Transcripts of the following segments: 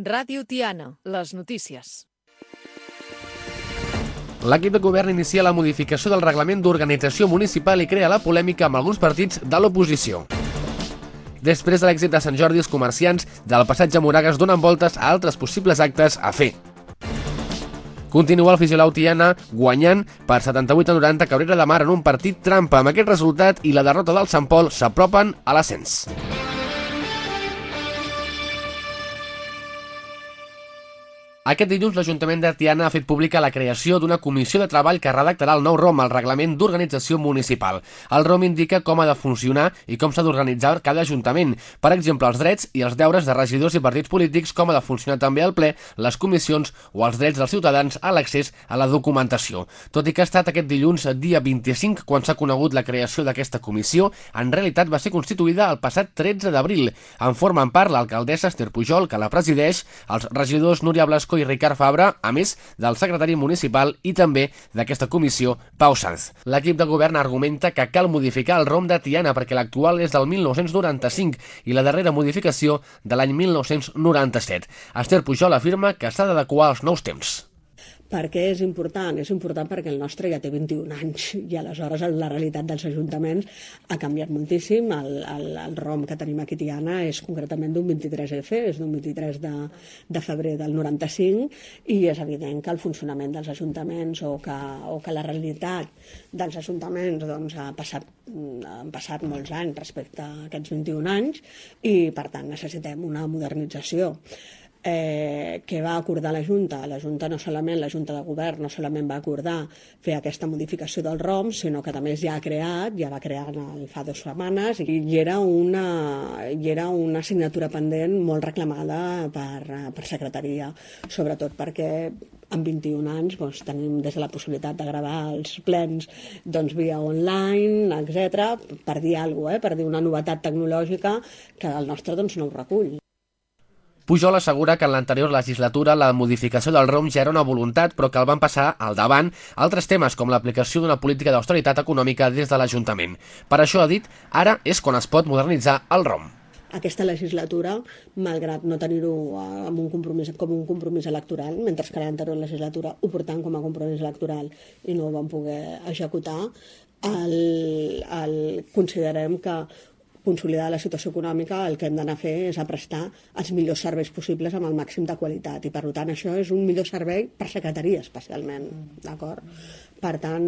Ràdio Tiana, les notícies. L'equip de govern inicia la modificació del reglament d'organització municipal i crea la polèmica amb alguns partits de l'oposició. Després de l'èxit de Sant Jordi, els comerciants del passatge Moragas donen voltes a altres possibles actes a fer. Continua el Fisiolau Tiana guanyant per 78-90 Cabrera de Mar en un partit trampa. Amb aquest resultat i la derrota del Sant Pol s'apropen a l'ascens. Aquest dilluns l'Ajuntament de Tiana ha fet pública la creació d'una comissió de treball que redactarà el nou ROM, el Reglament d'Organització Municipal. El ROM indica com ha de funcionar i com s'ha d'organitzar cada ajuntament. Per exemple, els drets i els deures de regidors i partits polítics, com ha de funcionar també el ple, les comissions o els drets dels ciutadans a l'accés a la documentació. Tot i que ha estat aquest dilluns, dia 25, quan s'ha conegut la creació d'aquesta comissió, en realitat va ser constituïda el passat 13 d'abril. En formen part l'alcaldessa Esther Pujol, que la presideix, els regidors Núria Blasco i Ricard Fabra, a més del secretari municipal i també d'aquesta comissió, Pau Sanz. L'equip de govern argumenta que cal modificar el ROM de Tiana perquè l'actual és del 1995 i la darrera modificació de l'any 1997. Esther Pujol afirma que s'ha d'adequar als nous temps. Per què és important? És important perquè el nostre ja té 21 anys i aleshores la realitat dels ajuntaments ha canviat moltíssim. El ROM que tenim aquí a Tiana és concretament d'un 23F, és d'un 23 de febrer del 95 i és evident que el funcionament dels ajuntaments o que la realitat dels ajuntaments doncs, han passat molts anys respecte a aquests 21 anys i per tant necessitem una modernització. Que va acordar la Junta. La Junta de Govern no solament va acordar fer aquesta modificació del ROM, sinó que també ja va crear fa 2 setmanes i era una assignatura pendent molt reclamada per secretaria, sobretot perquè en 21 anys tenim des de la possibilitat de gravar els plens via online, etc., per dir alguna cosa, per dir una novetat tecnològica que el nostre no ho recull. Pujol assegura que en l'anterior legislatura la modificació del ROM ja era una voluntat, però que el van passar al davant altres temes com l'aplicació d'una política d'austeritat econòmica des de l'Ajuntament. Per això, ha dit, ara és quan es pot modernitzar el ROM. Aquesta legislatura, malgrat no tenir-ho com un compromís electoral, mentre que l'anterior legislatura ho portàvem com a compromís electoral i no ho vam poder executar, considerem que consolidar la situació econòmica, el que hem d'anar a fer és a prestar els millors serveis possibles amb el màxim de qualitat i per tant això és un millor servei per secretaria especialment, d'acord? Per tant,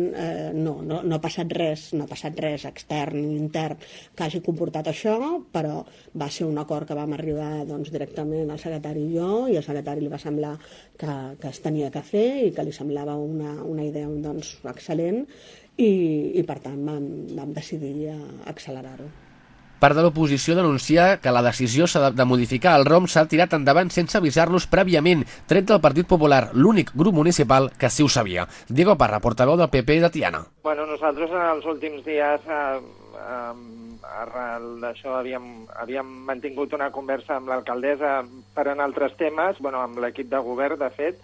no ha passat res extern ni intern que hagi comportat això, però va ser un acord que vam arribar directament al secretari i jo, i al secretari li va semblar que es tenia que fer i que li semblava una idea excel·lent i per tant vam decidir accelerar-ho. Part de l'oposició denuncia que la decisió de modificar el ROM s'ha tirat endavant sense avisar-los prèviament, tret del Partit Popular, l'únic grup municipal que sí ho sabia. Diego Parra, portaveu del PP de Tiana. Bueno, nosaltres en els últims dies arrel d'això havíem mantingut una conversa amb l'alcaldessa per en altres temes, amb l'equip de govern, de fet,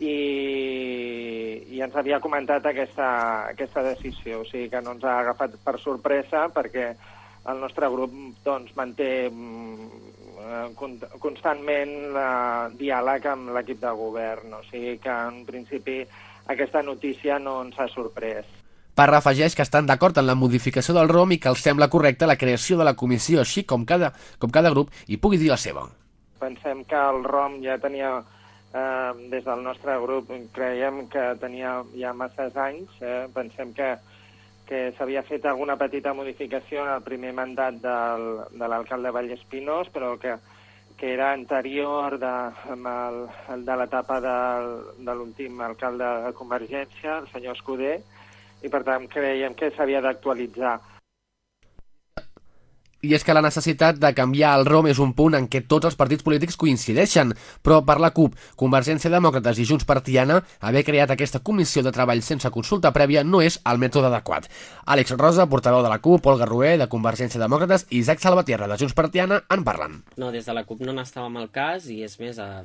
i ens havia comentat aquesta decisió. O sigui que no ens ha agafat per sorpresa perquè el nostre grup manté constantment diàleg amb l'equip de govern, o sigui que en principi aquesta notícia no ens ha sorprès. Parra afegeix que estan d'acord en la modificació del ROM i que els sembla correcta la creació de la comissió, així com cada grup hi pugui dir la seva. Pensem que el ROM ja tenia, des del nostre grup, creiem que tenia ja masses anys, pensem que s'havia fet alguna petita modificació en el primer mandat de l'alcalde Vallespinós, però que era anterior de l'etapa de l'últim alcalde de Convergència, el senyor Escudé, i per tant creiem que s'havia d'actualitzar. I és que la necessitat de canviar el ROM és un punt en què tots els partits polítics coincideixen, però per la CUP, Convergència Demòcrates i Junts per Tiana, haver creat aquesta comissió de treball sense consulta prèvia no és el mètode adequat. Àlex Rosa, portaveu de la CUP, Olga Roé, de Convergència Demòcrates, i Isaac Salvatierra, de Junts per Tiana, en parlen. No, des de la CUP no n'estàvem al cas i és més, a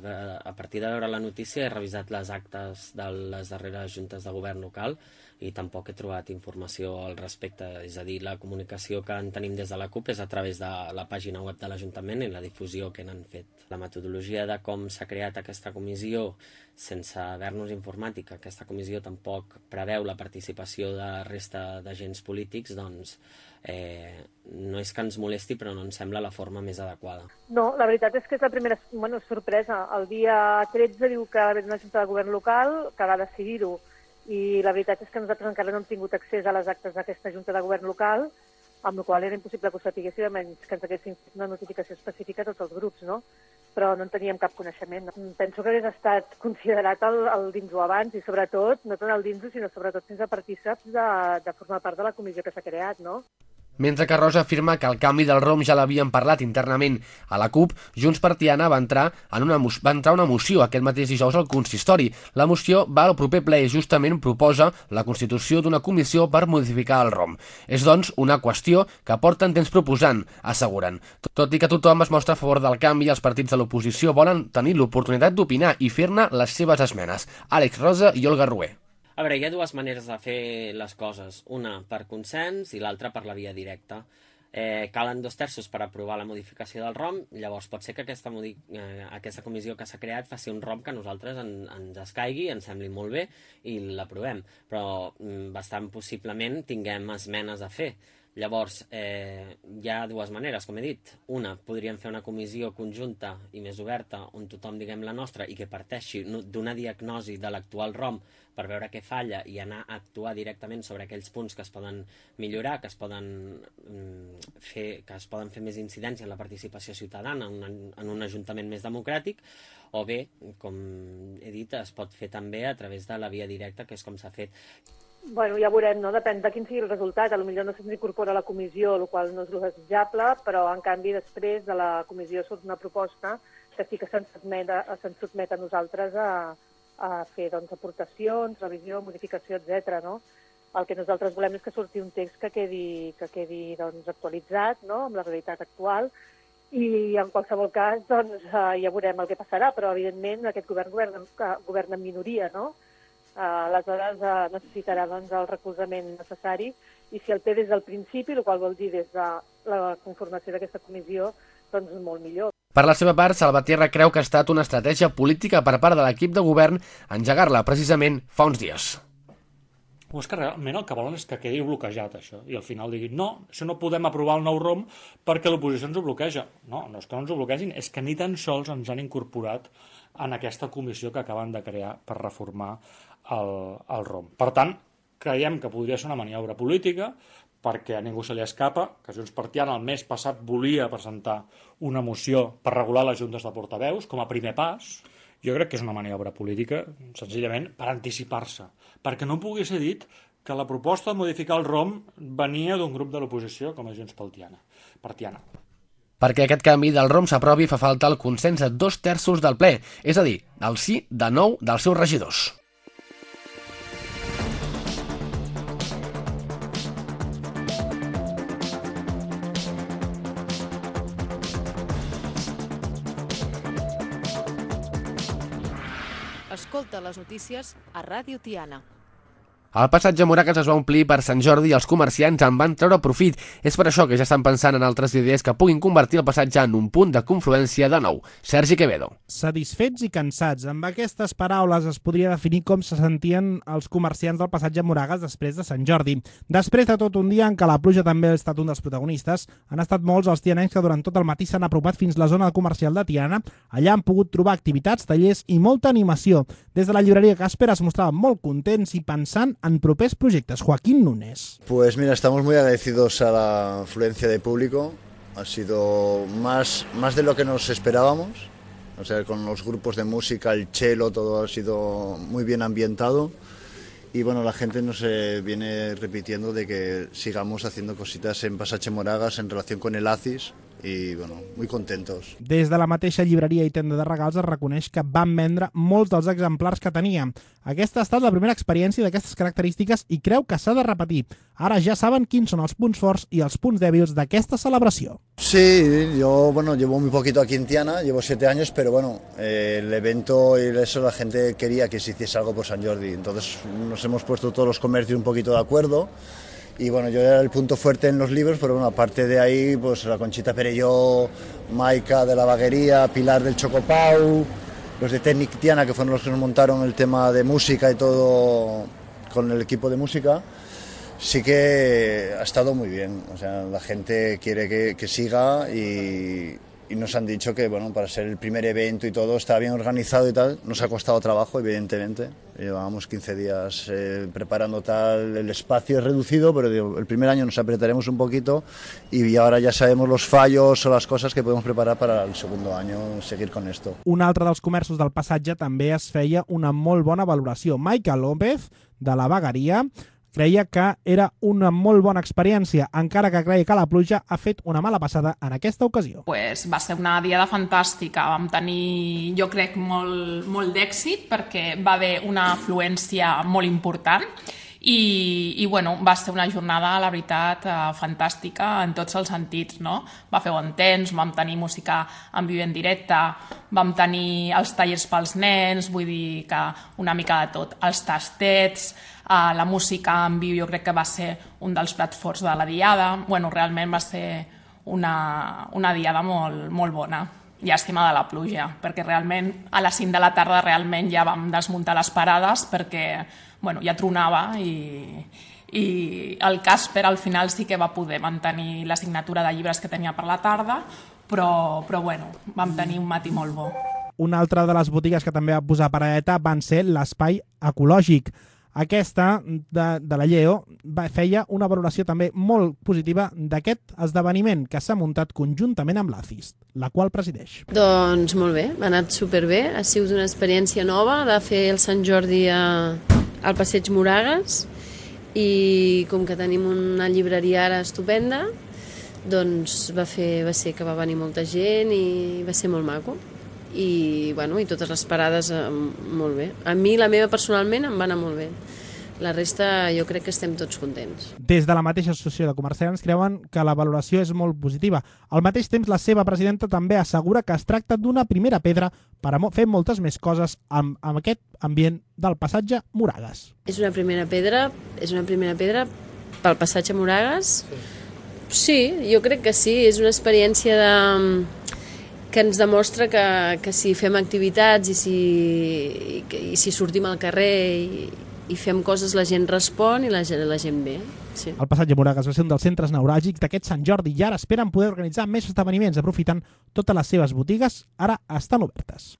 partir de veure la notícia he revisat les actes de les darreres juntes de govern local i tampoc he trobat informació al respecte. És a dir, la comunicació que en tenim des de la CUP és a través de la pàgina web de l'Ajuntament i la difusió que n'han fet. La metodologia de com s'ha creat aquesta comissió sense haver-nos informat i que aquesta comissió tampoc preveu la participació de resta d'agents polítics, doncs no és que ens molesti, però no ens sembla la forma més adequada. No, la veritat és que és la primera sorpresa. El dia 13 diu que ve una junta de govern local que va decidir-ho, i la veritat és que nosaltres encara no hem tingut accés a les actes d'aquesta junta de govern local, amb la qual era impossible que ho sapiguéssim, a menys que ens haguessin fet una notificació específica a tots els grups, no? Però no en teníem cap coneixement. Penso que hagués estat considerat el dins-ho abans i sobretot, no tant el dins-ho, sinó sobretot sense partíceps de formar part de la comissió que s'ha creat, no? Mentre que Rosa afirma que el canvi del ROM ja l'havien parlat internament a la CUP, Junts per Tiana va entrar una moció aquest mateix dijous al consistori. La moció va al proper ple i justament proposa la constitució d'una comissió per modificar el ROM. És, doncs, una qüestió que porten temps proposant, asseguren. Tot i que tothom es mostra a favor del canvi, els partits de l'oposició volen tenir l'oportunitat d'opinar i fer-ne les seves esmenes. Àlex Rosa i Olga Rué. A veure, hi ha dues maneres de fer les coses, una per consens i l'altra per la via directa. Calen 2/3 per aprovar la modificació del ROM, llavors pot ser que aquesta comissió que s'ha creat faci un ROM que a nosaltres ens escaigui, ens sembli molt bé i l'aprovem, però bastant possiblement tinguem esmenes a fer. Llavors, hi ha dues maneres, com he dit. Una, podríem fer una comissió conjunta i més oberta on tothom diguem la nostra i que parteixi d'una diagnosi de l'actual ROM per veure què falla i anar a actuar directament sobre aquells punts que es poden millorar, que es poden fer més incidència en la participació ciutadana en un ajuntament més democràtic, o bé, com he dit, es pot fer també a través de la via directa, que és com s'ha fet. Bueno, ja veurem, no? Depèn de quin sigui el resultat. Potser no se'ns incorpora a la comissió, el qual no és el desitjable, però en canvi després de la comissió surt una proposta que sí que se'ns sotmet a nosaltres a fer aportacions, revisió, modificació, etc. No? El que nosaltres volem és que surti un text que quedi actualitzat, no? Amb la realitat actual, i en qualsevol cas ja veurem el que passarà, però evidentment aquest govern governa en minoria, no? Aleshores necessitarà el recolzament necessari, i si el té des del principi, el qual vol dir des de la conformació d'aquesta comissió, doncs molt millor. Per la seva part, Salvatierra creu que ha estat una estratègia política per part de l'equip de govern engegar-la precisament fa uns dies. O és que realment el que volen és que quedi bloquejat això, i al final diguin no, això no podem aprovar el nou ROM perquè l'oposició ens ho bloqueja. No és que no ens ho bloquegin, és que ni tan sols ens han incorporat en aquesta comissió que acaben de crear per reformar el ROM. Per tant, creiem que podria ser una maniobra política, perquè a ningú se li escapa que Junts per Tiana el mes passat volia presentar una moció per regular les juntes de portaveus com a primer pas. Jo crec que és una maniobra política, senzillament per anticipar-se, perquè no pugui ser dit que la proposta de modificar el ROM venia d'un grup de l'oposició com a Junts per Tiana. Perquè aquest canvi del ROM s'aprovi fa falta el consens de 2/3 del ple, és a dir, el sí de 9 dels seus regidors. Escolta les notícies a Ràdio Tiana. El passatge Moragas es va omplir per Sant Jordi i els comerciants en van treure profit. És per això que ja estan pensant en altres idees que puguin convertir el passatge en un punt de confluència de nou. Sergi Quevedo. Satisfets i cansats. Amb aquestes paraules es podria definir com se sentien els comerciants del passatge Moragas després de Sant Jordi. Després de tot un dia en què la pluja també ha estat un dels protagonistes, han estat molts els tianencs que durant tot el matí s'han apropat fins la zona comercial de Tiana. Allà han pogut trobar activitats, tallers i molta animació. Des de la llibreria Casper es mostraven molt contents i pensant en propers proyectos. Joaquín Núñez. Pues mira, estamos muy agradecidos a la afluencia de público. Ha sido más de lo que nos esperábamos. O sea, con los grupos de música, el cello, todo ha sido muy bien ambientado. Y bueno, la gente nos viene repitiendo de que sigamos haciendo cositas en Passatge Moragas en relación con el ACIS, y bueno, muy contentos. Des de la mateixa llibreria i tenda de regals es reconeix que van vendre molts dels exemplars que tenia. Aquesta ha estat la primera experiència d'aquestes característiques i creu que s'ha de repetir. Ara ja saben quins són els punts forts i els punts dèbils d'aquesta celebració. Sí, yo llevo muy poquito aquí en Tiana, llevo 7 años, pero bueno, el evento y eso la gente quería que se hiciese algo por San Jordi, entonces nos hemos puesto todos los comercios un poquito de acuerdo. Y bueno, yo era el punto fuerte en los libros, pero bueno, aparte de ahí, pues la Conchita Perelló, Maika de la Baguería, Pilar del Chocopau, los de Technic Tiana, que fueron los que nos montaron el tema de música y todo con el equipo de música, sí que ha estado muy bien. O sea, la gente quiere que siga y nos han dicho que, bueno, para ser el primer evento y todo, está bien organizado y tal. Nos ha costado trabajo, evidentemente. Llevábamos 15 días preparando tal, el espacio es reducido, pero digo, el primer año nos apretaremos un poquito y ahora ya sabemos los fallos o las cosas que podemos preparar para el segundo año, seguir con esto. Un altre dels comerços del passatge també es feia una molt bona valoració. Maica López, de la Bagueria, creia que era una molt bona experiència, encara que creia que la pluja ha fet una mala passada en aquesta ocasió. Pues va ser una diada fantàstica, vam tenir, jo crec, molt d'èxit perquè va haver una afluència molt important i bueno, va ser una jornada, la veritat, fantàstica en tots els sentits, no? Va fer bon temps, vam tenir música en viu en directe, vam tenir els tallers pels nens, vull dir que una mica de tot, els tastets, la música en viu jo crec que va ser un dels plats forts de la diada. Bueno, realment va ser una diada molt bona. Llàstima de la pluja, perquè realment a les 5 de la tarda realment ja vam desmuntar les parades perquè bueno, ja tronava i el Casper al final sí que va poder mantenir la signatura de llibres que tenia per la tarda, però bueno, vam tenir un matí molt bo. Una altra de les botigues que també va posar paradeta van ser l'Espai Ecològic. Aquesta, de la Lleo, feia una valoració també molt positiva d'aquest esdeveniment que s'ha muntat conjuntament amb l'ACIS, la qual presideix. Doncs molt bé, ha anat superbé, ha sigut una experiència nova de fer el Sant Jordi al Passeig Moragas i com que tenim una llibreria ara estupenda, doncs va ser que va venir molta gent i va ser molt maco. I totes les parades molt bé. A mi, la meva personalment, em va anar molt bé. La resta jo crec que estem tots contents. Des de la mateixa associació de comerciants creuen que la valoració és molt positiva. Al mateix temps, la seva presidenta també assegura que es tracta d'una primera pedra per a fer moltes més coses amb aquest ambient del passatge Moragas. És una primera pedra pel passatge Moragas? Sí, jo crec que sí. És una experiència que ens demostra que si fem activitats i si sortim al carrer i fem coses, la gent respon i la gent ve. Sí. El passatge Moragas va ser un dels centres neuràlgics d'aquest Sant Jordi i ara esperen poder organitzar més esdeveniments aprofitant totes les seves botigues, ara estan obertes.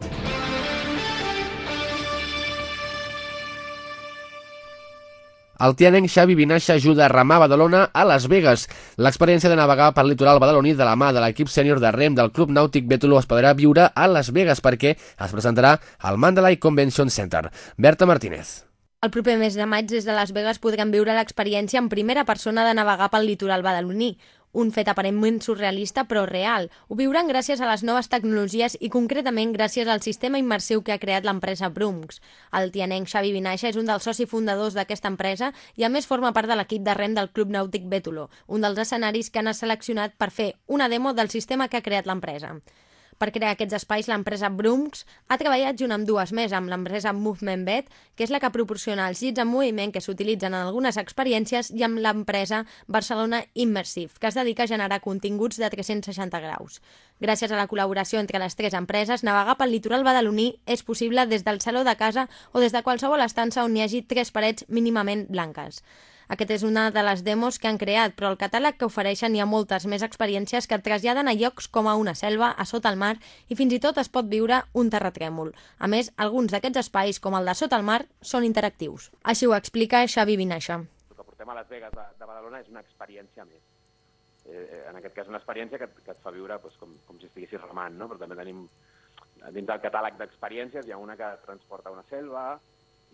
El tianenc Xavi Vinaixa ajuda a remar a Badalona a Las Vegas. L'experiència de navegar pel litoral badaloní de la mà de l'equip sènior de rem del Club Nàutic Bétolo es podrà viure a Las Vegas perquè es presentarà al Mandalay Convention Center. Berta Martínez. El proper mes de maig des de Las Vegas podrem viure l'experiència en primera persona de navegar pel litoral badaloní. Un fet aparentment surrealista però real. Ho viuran gràcies a les noves tecnologies i concretament gràcies al sistema immersiu que ha creat l'empresa Brumx. El tianenc Xavi Vinaixa és un dels socis fundadors d'aquesta empresa i a més forma part de l'equip de rem del Club Nàutic Bétolo, un dels escenaris que han seleccionat per fer una demo del sistema que ha creat l'empresa. Per crear aquests espais, l'empresa Brumx ha treballat junt amb dues més, amb l'empresa Movement Bet, que és la que proporciona els llits en moviment que s'utilitzen en algunes experiències, i amb l'empresa Barcelona Immersive, que es dedica a generar continguts de 360 graus. Gràcies a la col·laboració entre les tres empreses, navegar pel litoral badaloní és possible des del saló de casa o des de qualsevol estança on hi hagi 3 parets mínimament blanques. Aquest és una de les demos que han creat, però al catàleg que ofereixen hi ha moltes més experiències que et traslladen a llocs com a una selva, a sota el mar, i fins i tot es pot viure un terratrèmol. A més, alguns d'aquests espais, com el de sota el mar, són interactius. Així ho explica Xavi Vinaixa. El que portem a Las Vegas de Badalona és una experiència més. En aquest cas, una experiència que et fa viure com si estiguessis remant, no? Però també tenim, dins del catàleg d'experiències, hi ha una que et transporta a una selva,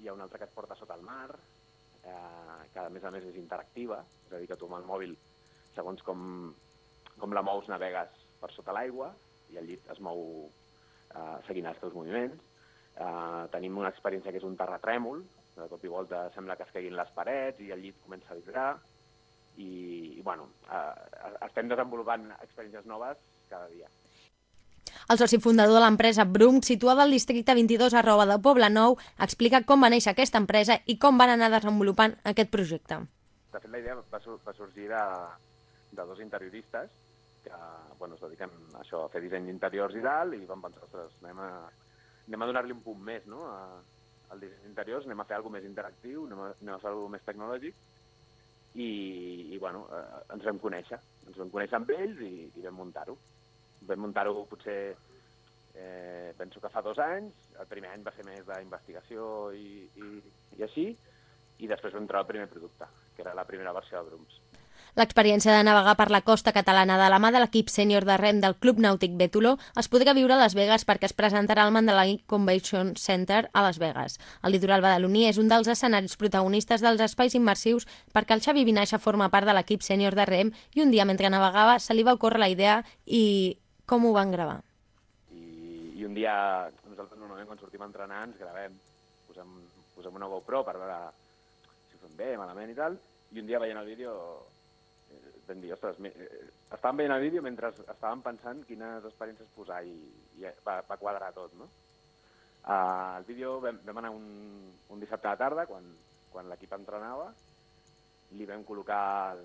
hi ha una altra que et porta sota el mar, que a més és interactiva, és a dir, que tu amb el mòbil, segons com la mous, navegues per sota l'aigua i el llit es mou seguint els teus moviments. Tenim una experiència que és un terratrèmol, de cop i volta sembla que es caiguin les parets i el llit comença a vibrar i bueno, estem desenvolupant experiències noves cada dia. El soci fundador de l'empresa Brum, situada al districte 22 @ de Poblenou, explica com va néixer aquesta empresa i com van anar desenvolupant aquest projecte. De fet, la idea va sorgir de dos interioristes que es dediquen a això, a fer disseny d'interiors i tal, i vam pensar, ostres, anem a donar-li un punt més, no?, al disseny d'interiors, anem a fer alguna més interactiu, anem a fer alguna més tecnològic, i ens vam conèixer amb ells i vam muntar-ho. Vam muntar-ho potser, penso que fa 2 anys, el primer any va ser més d'investigació i així, i després vam treure el primer producte, que era la primera versió de Brums. L'experiència de navegar per la costa catalana de la mà de l'equip sènior de rem del Club Nàutic Bétolo es podrà viure a Las Vegas perquè es presentarà al Mandalay Convention Center a Las Vegas. El litoral badaloní és un dels escenaris protagonistes dels espais immersius perquè el Xavi Vinaixa forma part de l'equip sènior de rem i un dia mentre navegava se li va ocórrer la idea i com ho van gravar? I un dia, nosaltres normalment quan sortim a entrenar ens gravem, posem una GoPro per veure si ho fem bé, malament i tal, i un dia veient el vídeo vam dir, ostres, estàvem veient el vídeo mentre estàvem pensant quines experiències posar i va quadrar tot, no? Al vídeo vam anar un dissabte a la tarda, quan l'equip entrenava, li vam col·locar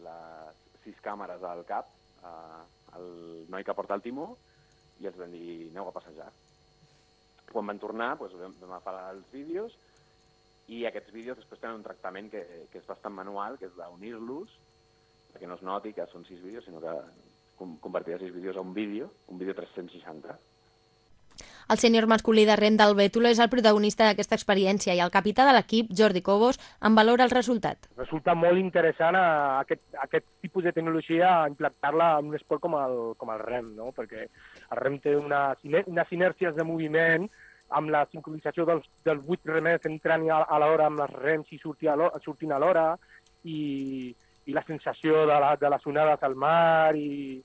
les 6 càmeres al cap al noi que porta el timó i els vam dir, aneu a passejar. Quan van tornar, vam agafar els vídeos i aquests vídeos després tenen un tractament que és bastant manual, que és d'unir-los, perquè no es noti que són 6 vídeos, sinó que convertir 6 vídeos a un vídeo 360. El sènior masculí de rem del Bétolo és el protagonista d'aquesta experiència i el capità de l'equip, Jordi Cobos, en valora el resultat. Resulta molt interessant aquest tipus de tecnologia implantar-la en un esport com el rem, no? Perquè el rem té unes inèrcies de moviment amb la sincronització dels 8 remers entrant a l'hora amb les rems i sortint a l'hora i la sensació de les onades al mar i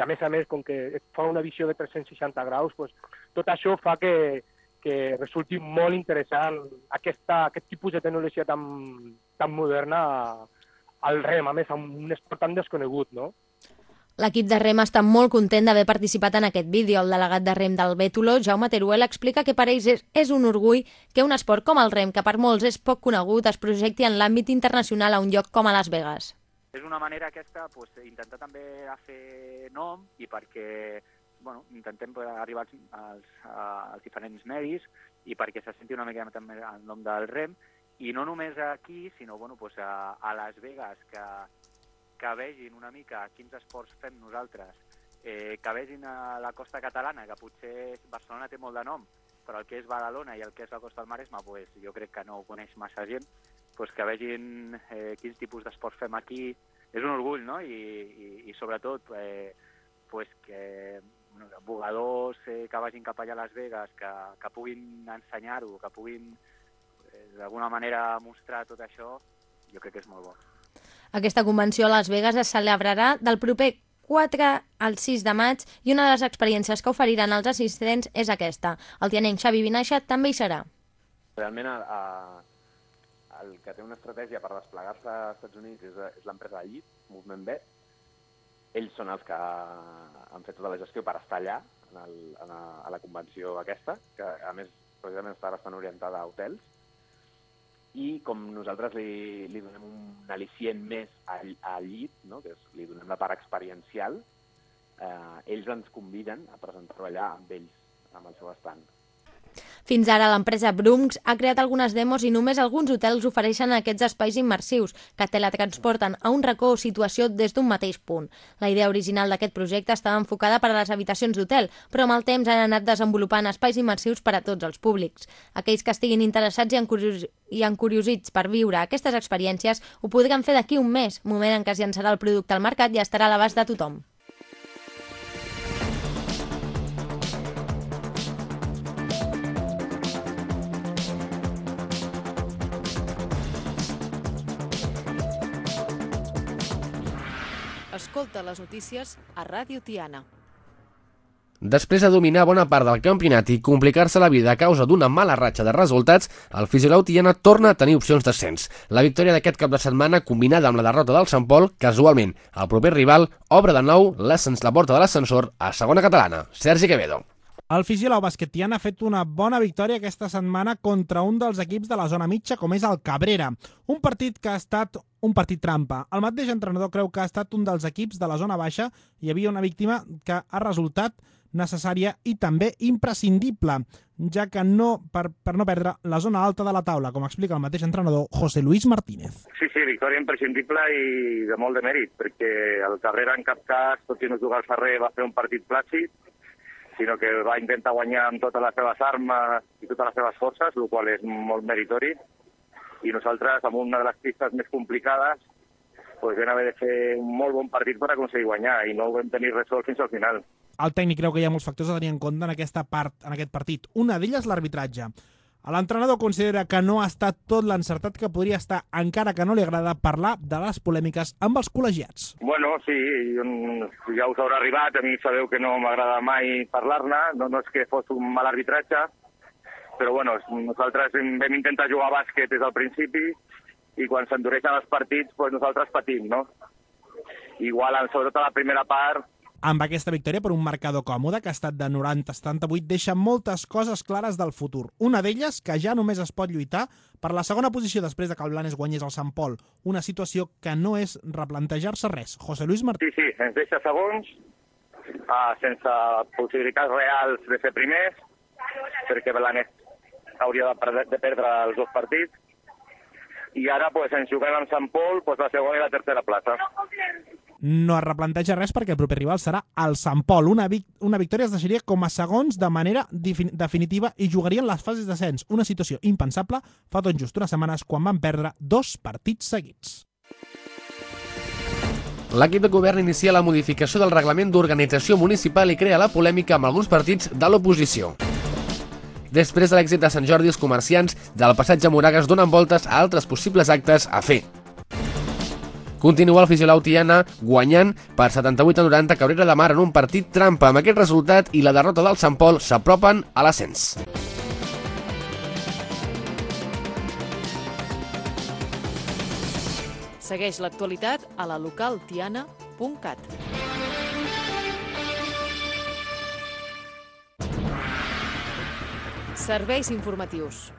a més, com que fa una visió de 360 graus, tot això fa que resulti molt interessant aquest tipus de tecnologia tan moderna al rem, a més, amb un esport tan desconegut, no? L'equip de rem està molt content d'haver participat en aquest vídeo. El delegat de rem del Bétolo, Jaume Teruel, explica que per ells és un orgull que un esport com el rem, que per molts és poc conegut, es projecti en l'àmbit internacional a un lloc com a Las Vegas. És una manera aquesta, intentar també a fer nom i perquè intentem arribar als diferents medis i perquè se senti una mica també el nom del rem i no només aquí, sinó a Las Vegas, que vegin una mica quins esports fem nosaltres, que vegin a la costa catalana, que potser Barcelona té molt de nom, però el que és Badalona i el que és la costa del Maresme, jo crec que no ho coneix massa gent, que vegin quins tipus d'esports fem aquí. És un orgull, no? I sobretot que bugadors que vagin cap allà a Las Vegas, que puguin ensenyar-ho, que puguin d'alguna manera mostrar tot això, jo crec que és molt bo. Aquesta convenció a Las Vegas es celebrarà del proper 4 al 6 de maig i una de les experiències que oferiran als assistents és aquesta. El tianenc Xavi Vinaixa també hi serà. Realment el que té una estratègia per desplegar-se als Estats Units és l'empresa de llit, Movement Bet. Ells són els que han fet tota la gestió per estar allà, a la convenció aquesta, que a més precisament està bastant orientada a hotels. I com nosaltres li donem un al·licient més al llit, no? Que li donem la part experiencial, ells ens conviden a presentar-ho allà amb ells, amb el seu estand. Fins ara l'empresa Brums ha creat algunes demos i només alguns hotels ofereixen aquests espais immersius que teletransporten a un racó o situació des d'un mateix punt. La idea original d'aquest projecte estava enfocada per a les habitacions d'hotel, però amb el temps han anat desenvolupant espais immersius per a tots els públics. Aquells que estiguin interessats i encuriosits per viure aquestes experiències ho podran fer d'aquí un mes, moment en què es llançarà el producte al mercat i estarà a l'abast de tothom. Escolta les notícies a Ràdio Tiana. Després de dominar bona part del campionat i complicar-se la vida a causa d'una mala ratxa de resultats, el Fisiolà Tiana torna a tenir opcions d'ascens. La victòria d'aquest cap de setmana, combinada amb la derrota del Sant Pol, casualment, el proper rival, obre de nou la porta de l'ascensor a segona catalana. Sergi Quevedo. El Fisiolà Bàsquet Tiana ha fet una bona victòria aquesta setmana contra un dels equips de la zona mitja, com és el Cabrera. Un partit que ha estat un partit trampa. El mateix entrenador creu que ha estat un dels equips de la zona baixa. Hi havia una víctima que ha resultat necessària i també imprescindible, ja que per no perdre la zona alta de la taula, com explica el mateix entrenador José Luis Martínez. Sí, victòria imprescindible i de molt de mèrit, perquè el Cabrera en cap cas, tot i no jugar al Ferrer, va fer un partit plàcid, sinó que va intentar guanyar amb totes les seves armes i totes les seves forces, el qual és molt meritori, i nosaltres, amb una de les pistes més complicades, vam haver de fer un molt bon partit per aconseguir guanyar, i no ho vam tenir resolt fins al final. El tècnic creu que hi ha molts factors a tenir en compte en aquest partit. Una d'elles l'arbitratge. L'entrenador considera que no ha estat tot l'encertat que podria estar, encara que no li agrada parlar de les polèmiques amb els col·legiats. Bueno, sí, ja us haurà arribat, a mi sabeu que no m'agrada mai parlar-ne, no és que fos un mal arbitratge, però bueno, nosaltres vam intentar jugar a bàsquet des del principi i quan s'endureixen els partits, nosaltres patim, no? Igual, sobretot a la primera part, amb aquesta victòria per un marcador còmode que ha estat de 90-78 deixa moltes coses clares del futur. Una d'elles que ja només es pot lluitar per la segona posició després de que el Blanes guanyés el Sant Pol. Una situació que no és replantejar-se res. José Luis Martínez. Sí, ens deixa segons, sense possibilitats reals de ser primers, perquè Blanes hauria de perdre els dos partits. I ara ens juguem amb Sant Pol la segona i la tercera plaça. No es replanteja res perquè el proper rival serà el Sant Pol. Una victòria es deixaria com a segons de manera definitiva i jugarien les fases d'ascens. Una situació impensable fa tot just unes setmanes quan van perdre 2 partits seguits. L'equip de govern inicia la modificació del reglament d'organització municipal i crea la polèmica amb alguns partits de l'oposició. Després de l'èxit de Sant Jordi, els comerciants del passatge Moragas donen voltes a altres possibles actes a fer. Continua el Fisiolà Tiana guanyant per 78-90 Cabrera de Mar en un partit trampa. Amb aquest resultat i la derrota del Sant Pol s'apropen a l'ascens. Segueix l'actualitat a la localtiana.cat. Serveis informatius.